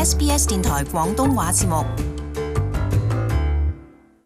SBS 電台廣東話節目。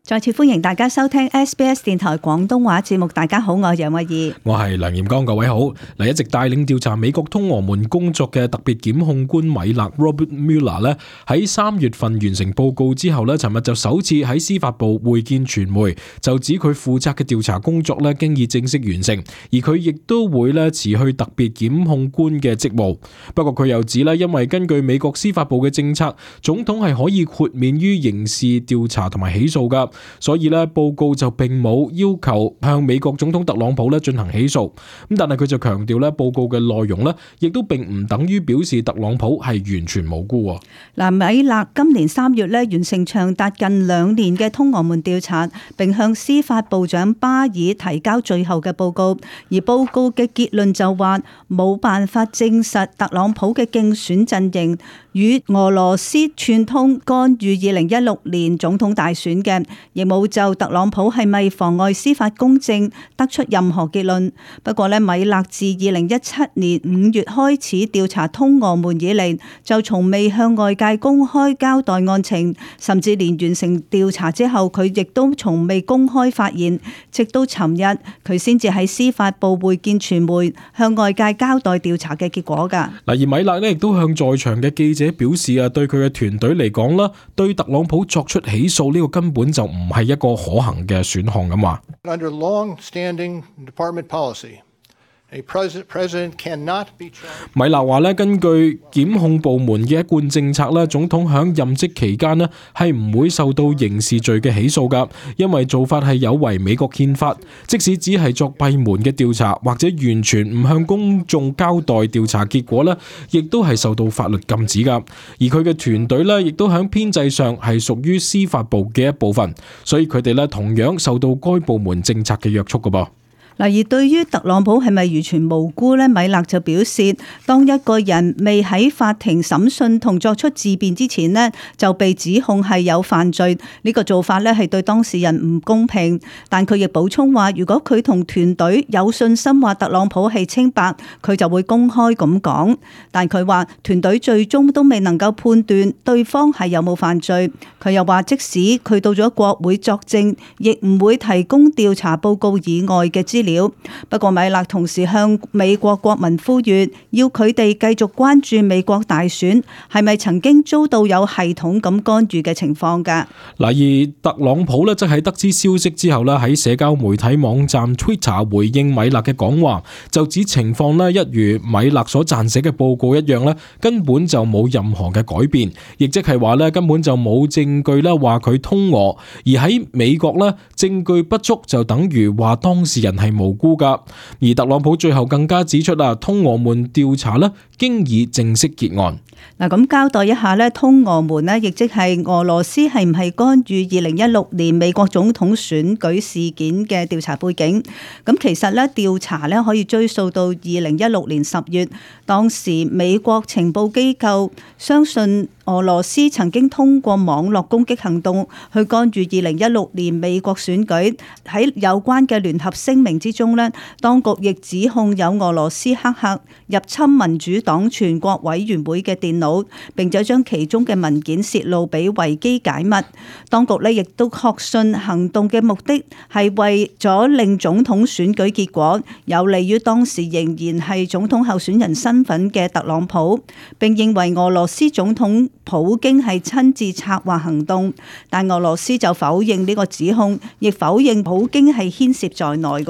再次歡迎大家收聽 SBS 電台廣東話節目。大家好，我係楊慧儀，我係梁彥剛，各位好。一直帶領調查美國通俄門工作嘅特別檢控官米勒 Robert Mueller 咧，喺3月份完成報告之後咧，尋日就首次喺司法部會見傳媒，就指佢負責嘅調查工作咧經已正式完成，而佢亦都會咧辭去特別檢控官嘅職務。不過佢又指咧，因為根據美國司法部嘅政策，總統係可以豁免於刑事調查同埋起訴噶。所以咧，報告就並冇要求向美國總統特朗普咧進行起訴。咁但係佢就強調咧，報告嘅內容咧，亦都並唔等於表示特朗普係完全無辜。嗱，米勒今年3月咧完成長達近2年嘅通俄門調查，並向司法部長巴爾提交最後嘅報告。而報告嘅結論就話冇辦法證實特朗普嘅競選陣營與俄羅斯串通干預2016年總統大選嘅，亦冇就特朗普係咪妨礙司法公正得出任何結論。不過咧，米勒自2017年5月開始調查通俄門以嚟，就從未向外界公開交代案情，甚至連完成調查之後，佢亦都從未公開發言。直到尋日，佢先至喺司法部會見傳媒，向外界交代調查嘅結果㗎。而米勒咧亦都向在場嘅記者表示啊，對佢嘅團隊嚟講啦，對特朗普作出起訴呢個根本就唔係一個可行嘅選項咁話。Under long-standing department policy, a president cannot be charged. 米勒話咧，根據檢控部門嘅一貫政策咧，總統響任職期間咧係唔會受到刑事罪嘅起訴噶，因為做法係有違美國憲法。即使只係作閉門嘅調查，或者完全唔向公眾交代調查結果咧，亦都係受到法律禁止噶。而佢嘅團隊咧，亦都響編制上係屬於司法部嘅一部分，所以佢哋咧同樣受到該部門政策嘅約束噶噃。嗱，而對於特朗普係咪完全無辜呢？米勒就表示，當一個人未喺法庭審訊同作出自辯之前呢，就被指控係有犯罪，呢個做法呢係對當事人唔公平。但佢亦補充話，如果佢同團隊有信心話特朗普係清白，佢就會公開咁講。但佢話團隊最終都未能夠判斷對方係有冇犯罪。佢又話，即使佢到咗國會作證，亦唔會提供調查報告以外嘅資料。不過米勒同時向美國國民呼籲，要佢哋繼續關注美國大選係咪曾經遭到有系統咁干預嘅情況㗎。而特朗普咧，則喺得知消息之後咧，喺社交媒體網站 Twitter 回應米勒嘅講話，就指情況咧一如米勒所撰寫嘅報告一樣咧，根本就冇任何嘅改變，亦即係話咧根本就冇證據咧話佢通俄，而喺美國咧證據不足就等於話當事人係無辜噶。而特朗普最後更加指出通俄門調查咧經已正式結案。嗱，咁交代一下咧，通俄門咧，亦即係俄羅斯係唔係干預2016年美國總統選舉事件嘅調查背景？咁其實咧調查咧可以追溯到2016年10月，當時美國情報機構相信俄羅斯曾經通過網絡攻擊行動去干預2016年美國選舉。喺有關嘅聯合聲明之中咧，當局亦指控有俄羅斯黑客入侵民主黨全國委員會嘅電腦，並且將其中嘅文件泄露俾維基解密。當局咧亦都確信行動嘅目的係為咗令總統選舉結果有利於當時仍然係總統候選人身份嘅特朗普，並認為俄羅斯總統普京係親自策劃行動。但俄羅斯就否認呢個指控，亦否認普京係牽涉在內嘅。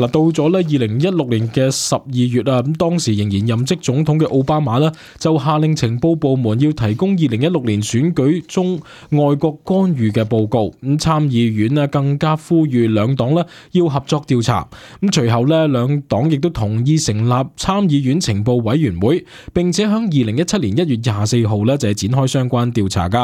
到咗咧2016年嘅12月啊，咁當時仍然任職總統嘅奧巴馬咧，就下令情報部門要提供2016年選舉中外國干預嘅報告。咁參議院咧更加呼籲兩黨咧要合作調查。咁隨後咧兩黨亦都同意成立參議院情報委員會，並且響2017年1月24號咧就係展開相關調查噶。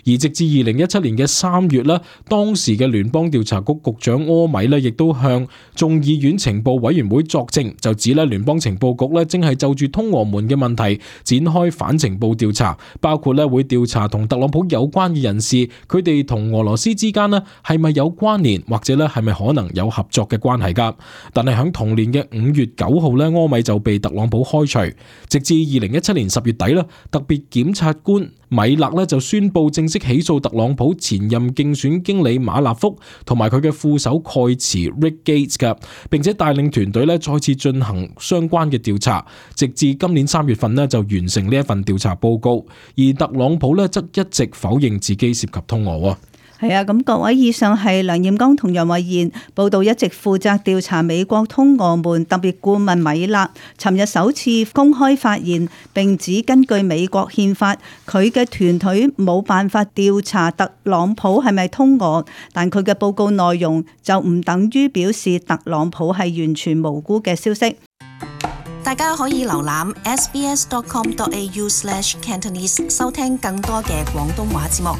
而直至2017年嘅3月咧，當時嘅聯邦調查局局長柯米咧亦都向眾議院情報委員會作證，就指咧聯邦情報局咧正係就住通俄門嘅問題展開反情報調查，包括咧會調查同特朗普有關嘅人士，佢哋同俄羅斯之間咧係咪有關聯，或者咧係咪可能有合作嘅關係噶。但係響同年嘅5月9號柯米就被特朗普開除，直至2017年10月底特別檢察官米勒呢就宣布正式起訴特朗普前任競選經理馬納福同埋佢嘅副手蓋茨 Rick Gates 嘅，並且帶領團隊呢再次進行相關嘅調查，直至今年3月份呢就完成呢一份調查報告。而特朗普呢則一直否認自己涉及通俄。係啊，咁各位，以上係梁彥剛同楊慧嫻報道。一直負責調查美國通俄門特別顧問米勒尋日首次公開發言，並指根據美國憲法，佢嘅團隊冇辦法調查特朗普係咪通俄，但佢嘅報告內容就唔等於表示特朗普係完全無辜嘅消息。大家可以瀏覽 sbs.com.au/Cantonese 收聽更多嘅廣東話節目。